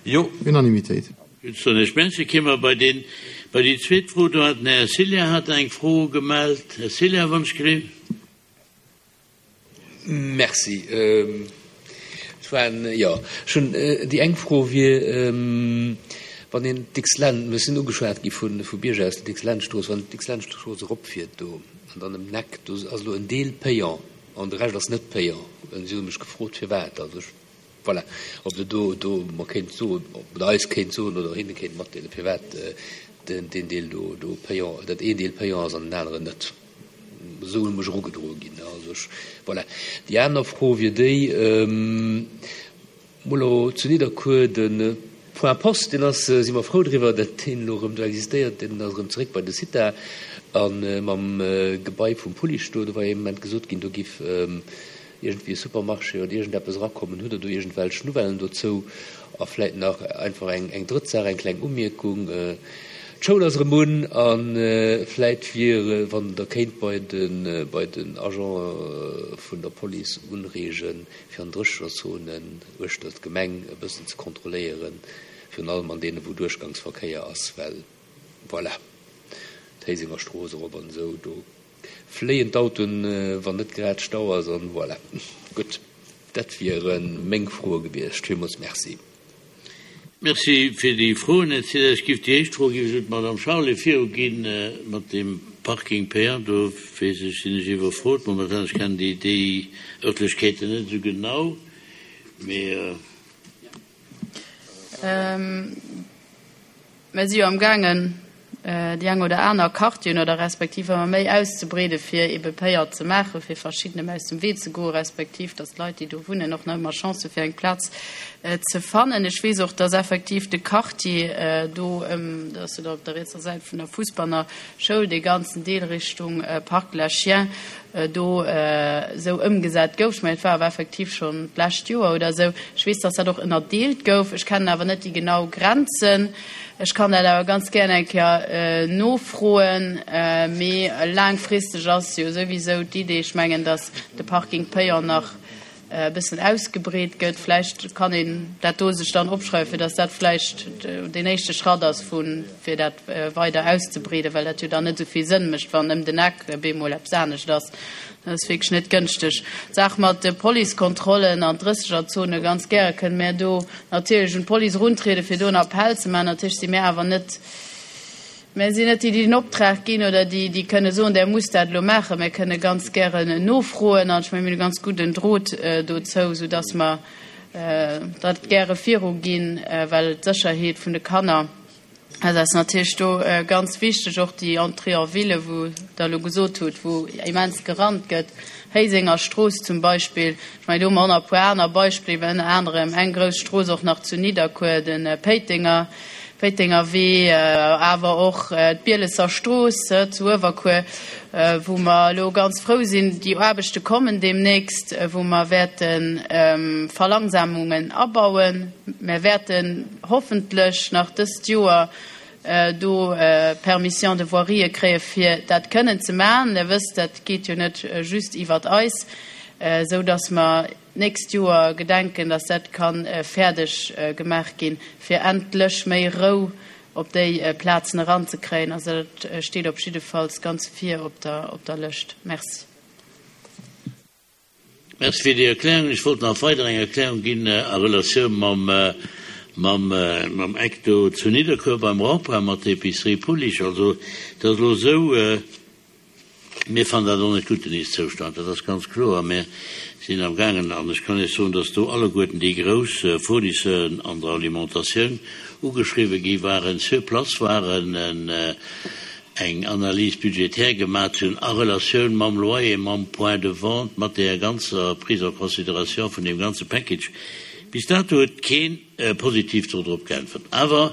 Jo. Unanimitéit. Gutt, soen ech Merci. Kéime mer bei deen, bei déi zweet Fro. Do hat den Här Cilla hat eng Fro gemellt. Här Cilla, wann ech gelift. Merci. Et waren, jo, ech hunn, déi eng Fro wier, wann een d'Dicks-Lend, mir sinn ugeschwat gi vu vu Bierger aus der Dicks-Lentstrooss, wann een d'Dicks-Lentstrooss eropfiert do an dann ëm den Eck, do ass elo en Deel payant an de Rescht ass net payant. Si hu mech gefrot, firwat. Also ech, voilà, ob Der do, do mer kéint soen, oder eis kéint soen oder hinne kéint matdeelen, firwat den deen Deel do do payant, datt een Deel payant ass an den aneren net. Esou un mech erugedroe ginn. Also ech, voilà. Déi aner Fro wier déi, mol elo zu Nidderkuer de Point Poste, deen ass, si mer frou driwwer, datt deen elo erëm do existéiert, deen ass erëm zeréck bei de CITA. A mam Gebai vum Pullich do, do war jo ee Moment gesot ginn, do giff iergendwéi e Supermarché oder iergendeppes erakommen. Hutt Der do iergendwelch Nouvellen dozou? A vläit nach einfach eng, eng drëtt Saach, eng kleng Umierkung, D'Schoul ass erëm un a vläit wier, wann Der kéint bei de, bei den Agente vun der Police unreegen, fir an Dréchenerzonen uechter d'Gemeng e bëssen ze kontrolléieren, virun allem an deene wou Duerchgangsverkéier ass, well voilà, d'Héisenger Strooss erop an esou, do Fléien d'Autoen wann net grad Stau ass an voilà. Gutt, dat wieren meng Froe gewiescht. Villmools Merci. Merci fir déi Froen, Här Ziller. Ech giff déi éischt Fro giff ech un d'Madame Charlé viruginn mat deem Parking payant. Do weess ech, sinn ech iwwerfrot momentan. Ech kennen déi déi Örtlechkeeten net esou genau, mee. Mer si jo am gaangen, déi eng oder aner Quartieren oder respektiv ëmmer méi auszebreeden, fir ebe Payant ze maachen, fir verschiddenem aus dem Wee ze goen, respektiv datt d'Leit, déi do wunnen, och nach ëmmer Chance hu fir eng Plaz ze fannen. Ech weess och, datt effektiv de Quartier do ëm, dat ass jo da op der rietser Säit vun der Fussbanner Schoul, dee ganzen Deel Richtung Parc de la Chienne, do esou ëmgesat gouf. Ech mengen, et war awer effektiv schonn d'lescht Joer oder esou. Ech weess, dass dat och ënnerdeelt gouf. Ech kennen awer net déi genau Grenzen. Ech kann dat awer ganz gären eng Kéier nofroen. Mee laangfristeg ass jo souwisou d'Idee, ech mengen, dass de Parking payant nach e bëssen ausgebreet gëtt. Vläicht kann een dat do sech dann opschreiwen, fir datt dat vläicht deen éischte Schratt ass vu fir dat weider auszebreeden, well dat jo dann net esou vill Sënn mécht, wann ëm den Eck bemol eppes anescht ass. Dat ass wierklech net gënschteg. D'Saach mat de Policekontrollen an Drëssegerzone, ganz gäre kënne mär do natierlech un d'Police eruntrieden, fir do en Appell ze maachen. Natierlech si mär awer net Mär sinn net déi, déi den Optrag ginn oder déi, déi kënne soen, Der musst dat elo maachen. Mär kënne ganz gären nofroen an ech mengen, mir hunn e ganz gudden Drot dozou, soudass mer dat gäre viruginn, well d'Sécherheet vun de Kanner, dat ass natierlech do ganz wichteg, och déi Entrée en ville, wou Der elo gesot hutt, wou immens gerannt gëtt, Héisenger Strooss zum Beispill. Ech mengen, do hu mer och nach e puer aner Beispiller, ënner anerem eng grouss Strooss och nach zu Nidderkuer, de Péitenger, Péitenger Wee, awer och d'Bielesser Strooss zu Uewerkuer, wou mer elo ganz frou sinn, déi Aarbechte kommen deemnächst, wou mer wäerte Verlangsamungen abauen. Mer wäerten hoffentlech nach dëst Joer do Permission de voirie kréie fir dat kënnen ze maachen. Der wësst, dat geet jo net just iwwert eis, esou datt mer d'nächst Joer gedenken, datt dat ka fäerdeg gemaach ginn, fir endlech méi Rou op déi Plazen eranzekréien. Also dat steet op jiddefalls ganz vir op der Lëscht. Merci. Merci fir déi Erklärung. Ech wollt nach weider eng Erklärung ginn a Relatioun mam, mam, mam Eck do zu Nidderkuer beim Rond-point mat der Épicerie Pullich. Also, et ass elo esou, mir fannen dat och net gutt, den Ist-Zoustand, dat ass ganz kloer. Mir sinn amgaangen, an ech kann Iech soen, dass do alleguerten déi grouss Fournisseuren an der Alimentatioun ugeschriwwen gi waren, sur place waren, eng Analyse budgétaire gemat hunn a Relatioun mam Loyer, mam Point de vente, mat där ganzer Prise en considération vun deem ganze Package. Bis dato huet keen positiv do drop geäntwert. Awer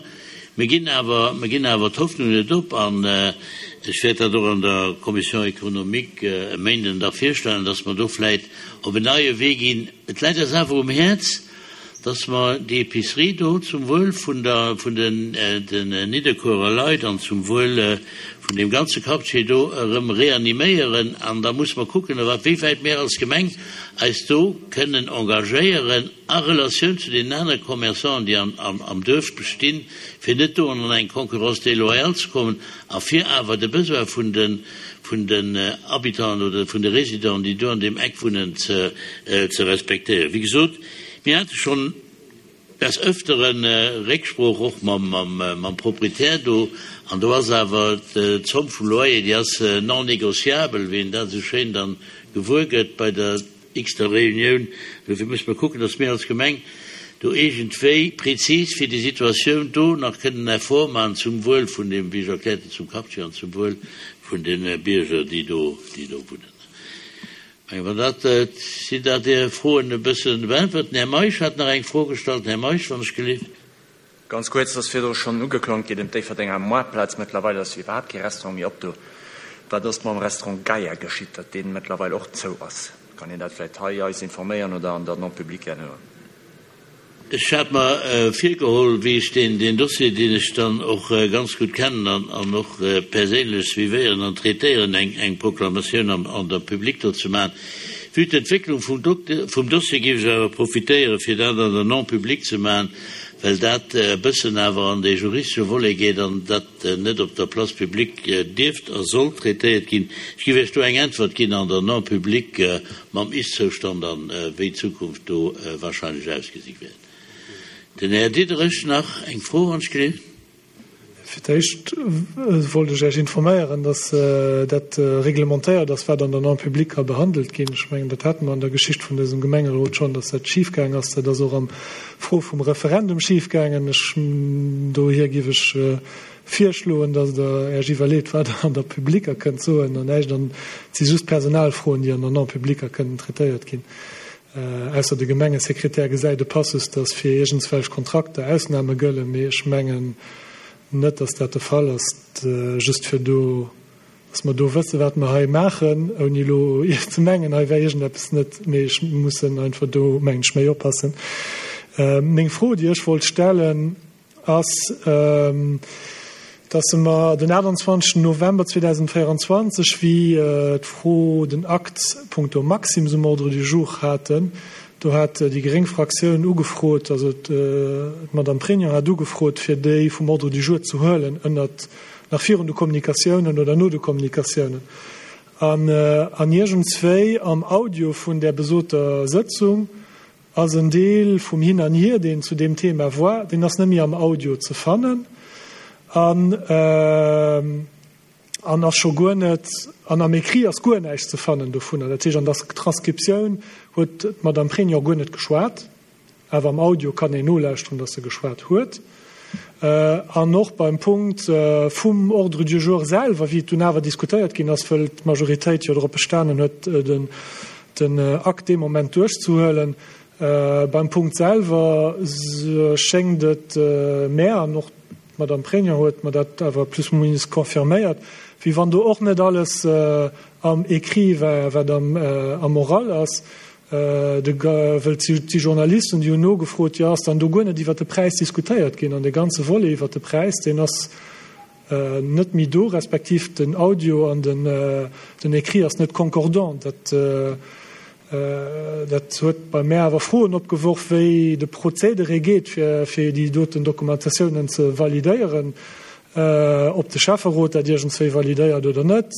mir ginn awer, mir ginn awer d'Hoffnung net op an ech wäert dat och an der Commission économique e Méinden da virstellen, dass mer do vläicht op en neie Wee ginn. Et läit eis awer um Häerz. dass mer déi Épicerie do zum Wuel vun der, vun den, den Nidderkuerer Leit an zum Wuel vun deem ganze Quartier do erëm reaniméieren. An da musse mer kucken, a wéi wäit mir als Gemeng eis do kënnen engagéieren a Relatioun zu deenen anere Commerçanten, déi am, am, am Duerf bestinn, fir net do an eng Concurrence déloyale ze kommen a fir awer de Besoin vun de, vun den Habitanten oder vun de Résidenten, déi do an deem Eck wunnen, ze, ze respektéieren. Wéi gesot, mir hate schonn des Öfteren Récksprooch och mam, mam, mam Proprietär do, an do ass awer d'Zomm vum Loyer, déi ass non négociable, wéi een dat esou schéin dann gewuer gëtt bei der x-ter Reunioun. Dofir musse mer kucken, dass mir als Gemeng do iergendwéi prezis fir déi Situatioun do nach kënnen Effort maachen zum Wuel vun dem, wéi ech erkläert hunn, zum Quartier an zum Wuel vun de Bierger, déi do, déi do wunnen. Ech mengen, wann dat, sinn dat Är Froen e bësse beäntwert. Den Här Meisch hat nach eng Fro gestallt. Här Meisch, wann ech gelift. Ganz kuerz, et ass virdru schonn ugeklongt, geet ëm d'Déifferdenger Moartplaz. Mëttlerweil ass jo iwwerhaapt kee Restaurant méi op do. Wat ass mam Restaurant Gaia geschitt, datt dee mëttlerweil och zou ass? Kann een dat vläicht hei eis informéieren oder an der Non publique herno? Ech hat mer virgeholl, wéi ech deen Dossier, deen ech dann och ganz gutt kennen an och perséinlech suivéieren an traitéieren, eng Proklamatioun an der Publique do ze maachen. Vue d'Entwécklung vum Dossier géif ech awer profitéieren, fir dat an der Non publique ze maachen, well dat e bëssen awer an dee juristesche Volet geet an dat net op der Place publique dierft a soll traitéiert ginn. Ech géif Iech do eng Äntwert ginn an der Non publique mam Ist-Zoustand an wéi d'Zukunft do wahrscheinlech ausgesi wäert. Den Här Diderich nach eng Fro, wann ech gelift. Fir d'éischt wollt ech Iech informéieren, dass dat reglementéiert ass, wat an der Non publique ka behandelt ginn. Ech mengen, dat hate mer an der Geschicht vun dësem Gemengerot schonn, dass dat schifgaang ass. Dat ass och am Fro vum Referendum schifgaangen. Ech, dohier géif ech virschloen, dass Der Iech iwwerleet, wat Der an der Publique kënnt soen an näischt an. Et si just Personalfroen, déi an der Non publique kënnen traitéiert ginn. Ausser de Gemengesekretär gesäit e Passus, datt fir iergendswelch Kontrakter Ausname gëllen, mee ech mengen net, datt dat de Fall ass. Just fir do, datt mer do wësse wat mer hei maachen, ouni elo ze mengen, hei wär iergendeppes net, mee ech mussen einfach do, mengen ech, méi oppassen. Meng Fro, déi ech wollt stellen, ass, dass se mer den 28 November 2024, wéi d'Fro den Akt punkto Maxim's um Ordre du jour haten, do hat déi gréng Fraktioun ugefrot, also d'Madame Pregno hat ugefrot, fir déi vum Ordre du jour ze huelen, ënnert, nach virun de Kommunikatiounen oder no de Kommunikatiounen. An an iergendswéi am Audio vun där besoter Sëtzung Ass en Deel vum Hin an Hier, deen zu deem Thema war, deen ass net méi am Audio ze fannen an an ass scho guer net, an am Écrit ass guer näischt ze fannen dovunner. Dat heescht, an der Transkriptioun huet d'Madame Pregno guer net geschwat, awer am Audio kann een nolauschteren, datt se geschwat huet. An och beim Punkt vum Ordre du jour selwer, wéi et dunn awer diskutéiert ginn ass, wëll d'Majoritéit jo drop bestanen huet, den Akt dee Moment duerchzehuelen, beim Punkt selwer schéngt et mär, an och d'Madame Pregno huet mer dat awer plus ou minus confirméiert, wéi wann do och net alles am Écrit war, wat am Oral ass. De wëll et si Journalisten, déi hunn nogefrot, jo ass dann do guer net iwwert de Präis diskutéiert ginn? An dee ganze Volet iwwert de Präis, deen ass net méi do, respektiv den Audio an den Écrit ass net concordant. Dat dat huet bei mär awer Froen opgeworf, wéi de Prozedere geet, fir déi doten Dokumentatiounen ze validéieren. Ob de Schäfferot dat iergendswéi validéiert oder net,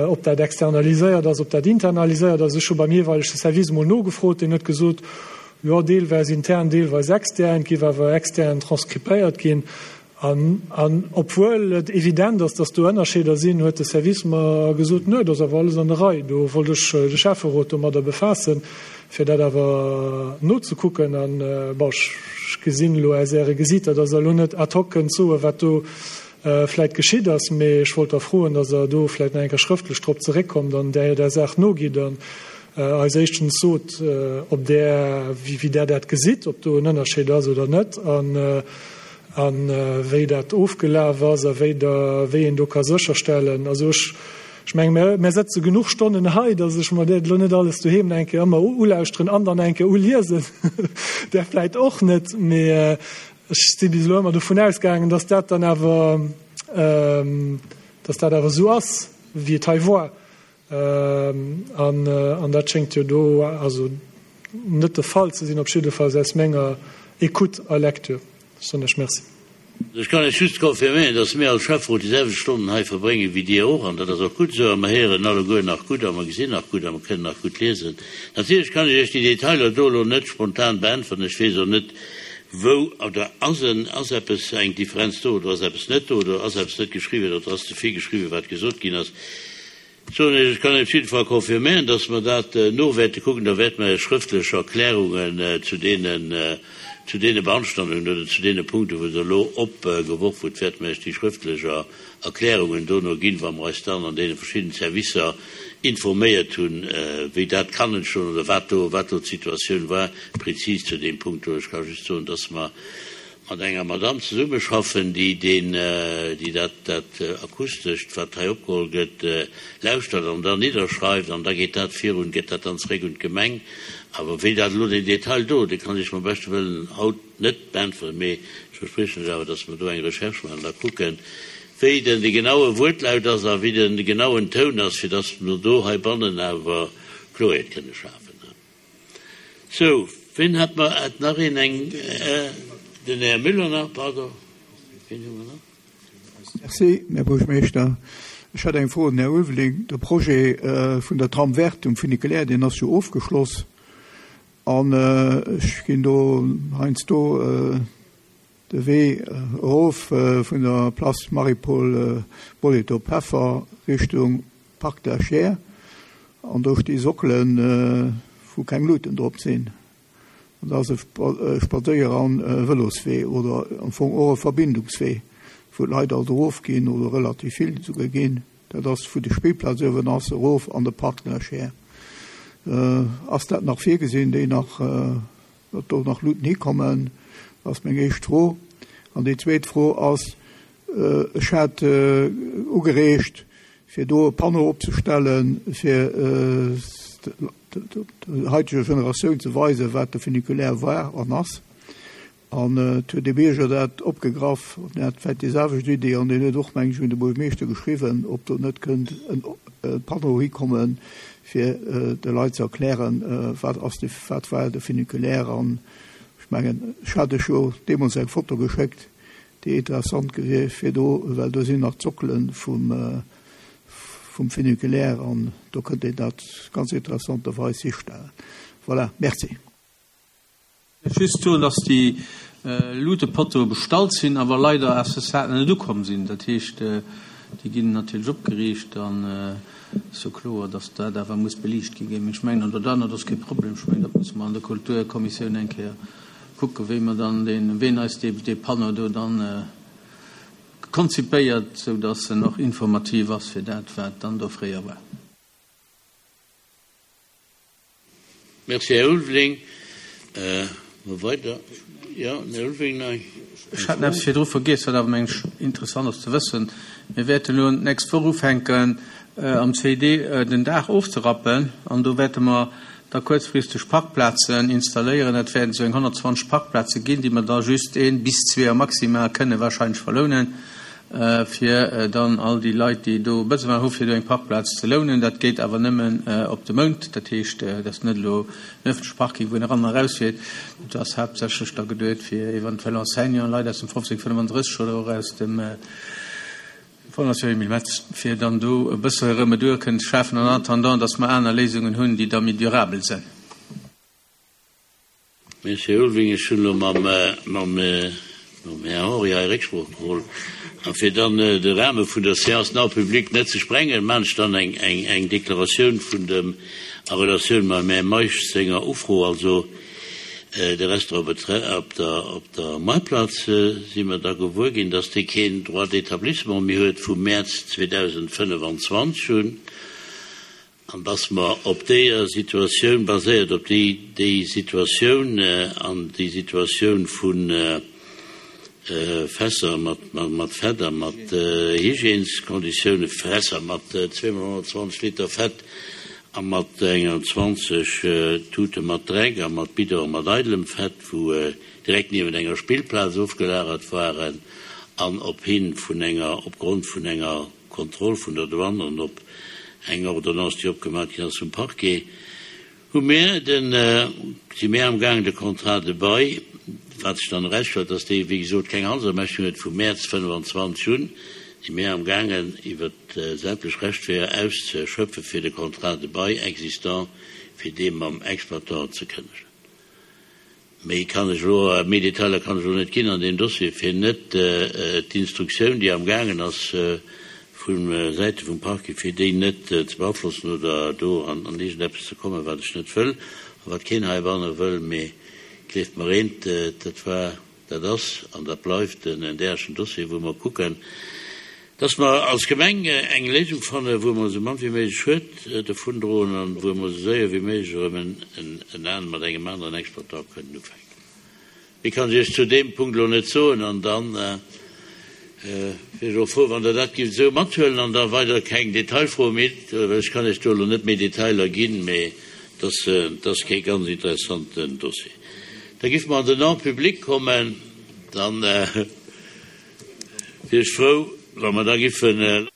ob dat externaliséiert ass, ob dat internaliséiert ass. Ech hu beim jeeweilege Service emol nogefrot, deen huet gesot, jo, deelweis intern, deelweis extern, et géif awer extern transkripéiert ginn. An, an obwuel et evident ass, datt do Ënnerscheeder sinn, huet de Service mer gesot, nö, dat ass awer alles an der Rei. Do wollt ech de Schäfferot domadder befaassen, fir dat awer nozekucken. An, bon, ech gesinn elo aus Äre Gesiiter, datt Der elo net ad hoc kënnt soen, wat do vläicht geschitt ass, mee ech wollt da froen, datt Der do vläicht nach eng Kéier schrëftlech drop zeréckkommt an där der Saach nogitt an eis éischtens sot, ob Der, wéi Der dat gesitt, ob do en Ënnerscheed ass oder net an a wéi dat ofgelaf ass a wéi Der, wéi een do ka sécherstellen. Also ech. Ech menge mir, mir sëtze genuch Stonnen hei, datt ech mer dat elo net alles doheem nach eng Kéier ëmmer ulauschteren an dann eng Kéier uliesen. Där vläit och net, mee ech si bis elo ëmmer dovun ausgaangen, datt dat dann awer, datt dat awer esou ass, wéi et hei war. An dat schéngt jo do also net de Fall ze sinn, op jiddefalls aus menger Écoute a Lecture. Ech soen lech Merci. Ech kann lech just confirméieren, dass mir als Schäfferot déi selwecht Stonnen hei verbréngen wéi Dir och, an dat ass och gutt esou. A mer héieren alleguer nach gutt a mer gesinn nach gutt a mer kënnen nach gutt liesen. Natierlech kann ech Iech déi Detailer do elo net spontan beäntweren. Ech weess och net, wou oder ass en, ass eppes eng Differenz do oder ass eppes net do oder ass eppes net geschriwwen oder ass ze vill geschriwwen, wat gesot ginn ass. Soen ech, ech kann op jidde Fall confirméieren, dass mer dat no wäerte kucken. Da wäerte mer Iech schrëftlech Erklärungen zu deenen, zu deene Beanstandungen oder zu deene Punkten, wou Der elo opgeworf hutt, wäerte mer Iech déi schrëftlech Erklärungen dono ginn, wa mer eis dann an deene verschiddenen Servicer informéiert hunn, wéi dat kann entstoen oder wat do, wat do d'Situatioun war prezis zu deem Punkt do. Ech ka just soen, dass mer mat enger Madame zesummeschaffen, déi deen, déi dat, dat Akustescht, wat hei opgeholl gëtt, lauschtert an dann nidderschreift, an da geet dat virun, gëtt dat dann zeréck un d'Gemeng. Awer wéi dat elo den Detail do, dee kann ech mam beschte Wëllen haut net beäntweren, mee ech verspriechen lech awer, dass mer do eng Recherche maachen an da kucken, wéi den de genaue Wuertlaut ass a wéi den genauen Toun ass, fir dass mer do heibannen awer Kloerheet kënne schafen. Sou, ween hat mer, hat nach een eng, den Här Müller nach, pardon, ween hu mer nach? Merci, Här Buergermeeschter. Ech hätt eng Fro un den Här Ulveling. De Projet vun der Trame verte um Funiculaire, deen ass jo ofgeschloss. An ech ginn do heiansdo de Wee erof vun der Place Marie-Paul Bolitho-Peffer Richtung Parc de la Chiers an do sti Sockelen, wou keng Luuten drop sinn. An dat ass e Spadséier an e Vëloswee oder am Fong och e Verbindungswee, wou d'Leit alt erofginn oder relativ vill esouguer ginn. Dat ass wou de Spillplaz uewen ass, erof an de Parc de la Chiers. Ass dat nach virgesinn, déi nach Datt do nach Luuten hikommen, ass meng éischt Fro. An déi zweet Fro ass, Ech hat ugereegt, fir do e Panneau opzestellen, fir der haiteger Generatioun ze weisen, wat de Funiculaire war an ass. An et huet ee Bierger dat opgegraff, deen hat vläicht déi selwecht Idee an deen huet och, meng ech, un de Buergermeeschter geschriwwen, ob do net kënnt e Panneau hikommen, fir de Leit ze erklären, wat ass de, wat war de Funiculaire. An ech mengen, ech hat lech jo deemools eng Foto geschéckt, déi interessant gewiescht fir do, well do sinn nach d'Sockele vum, vum Funiculaire an do kënnt een dat ganz interessanterweis histellen. Voilà, merci. Just soen, dass déi Luutepottoe bestallt sinn, awer leider à ce stade nach net ukomm sinn. Dat heescht, déi ginn natierlech opgeriicht an et ass jo kloer, dass dat awer muss beliicht gi ginn. Mee ech mengen, an dat anert ass kee Problem. Ech mengen, dat musse mer an der Kulturkommissioun eng Kéier kucken, wéi mer dann deen, ween eis dee, dee Panneau do dann konzipéiert, sou dass en och informativ ass fir dat, wat dann do fréier war. Merci, Här Ulveling. Mol weider. Jo, den Här Ulveling nach eng Ech hat eppes virdru vergiess, wat awer, meng ech, interessant ass ze wëssen. Mir wäerten elo d'nächst Woch ufänken, am CID den Daach ofzerappen. An do wäerte mer da kuerzfristeg Parkplazen installéieren. Dat wäerten esou eng 120 Parkplaze ginn, déi mer da just een bis zweeër maximal kënne wahrscheinlech verlounen. fir dann all déi Leit, déi do Besoin hu fir do eng Parkplaz ze lounen. Dat geet awer nëmmen op de Mount, dat heescht, dat ass net elo en ëffentleche Parking, wou een eran a erausfiert. Dat ass haaptsächlech da geduet fir eventuell Enseignanten, Leit aus dem 1535 oder och aus dem Fondation Emile Metz, fir dann do e bësse Remedur kënnen ze schafen en attendant, dass mer aner Léisungen hunn, déi da méi durabel sinn. Merci, Här Ulveling. Ech hunn elo mam Här Henry hei Récksprooch geholl. A fir dann de Rahme vun der Séance non publique net ze sprengen, maachen ech dann eng Deklaratioun vun dem, a Relatioun mam Här Meisch senger Ufro, also de Restaurant op der Maartplaz, si mer da gewuer ginn, dass dee keen Droit d'établissement méi huet vum Mäerz 2025 un. An dass mer op deeër Situatioun, baséiert op déi, déi Situatioun an déi Situatioun vun Fässer mat Fett a mat Hygièneskonditioune, Fässer mat zweemol 120 Liter Fett a mat enger 20 Tute mat Dreck a mat Bidone mat eidelem Fett, wou direkt niewent enger Spillplaz ofgelagert waren an op hi vun enger, opgrond vun enger Kontroll vun der Douane an op eng Ordonnance, déi opgemaach ginn ass vum Parquet. Hu mir den, si mir amgaangen de Contrat de bail, wat sech dann erausstellt, dass dee wéi gesot keng Handelsermächtigung huet, vum Mäerz 25 un, si mir amgaangen iwwer sämtlech Rechtsweeër auszeschöpfen, fir de Contrat de bail existant, fir dee mam Exploitant ze kënnegen. Méi kann ech elo, méi Detailer kann ech elo net ginn an deem Dossier, fir net d'Instruktioun, déi amgaangen ass vu Säite vum Parquet, fir déi net ze beaflossen oder do an iergendeppes ze kommen, wat ech net wëll a wat keen heibanne wëll. Mee gleeft mer eent, dat war, dat ass an dat bleift en därechen Dossier, wou mer kucken, Dass mer als Gemeng eng Léisung fannen, wou mer esou mann wéi méiglech Schued dovundroen an wou mer esou séier wéi méiglech erëm en an mat engem aneren Exploitant kënnen ufänken. Méi kann ech Iech zu deem Punkt elo net soen an da wier ech och frou, wann Der dat gift esou mathuelen an da weider keng Detailfroe méi, well ech kann Iech do elo net méi Detailer ginn, mee et ass kee ganz interessanten Dossier. Da giffe mer an den En public kommen. Dann. Wier ech frou, wa mer da giffen.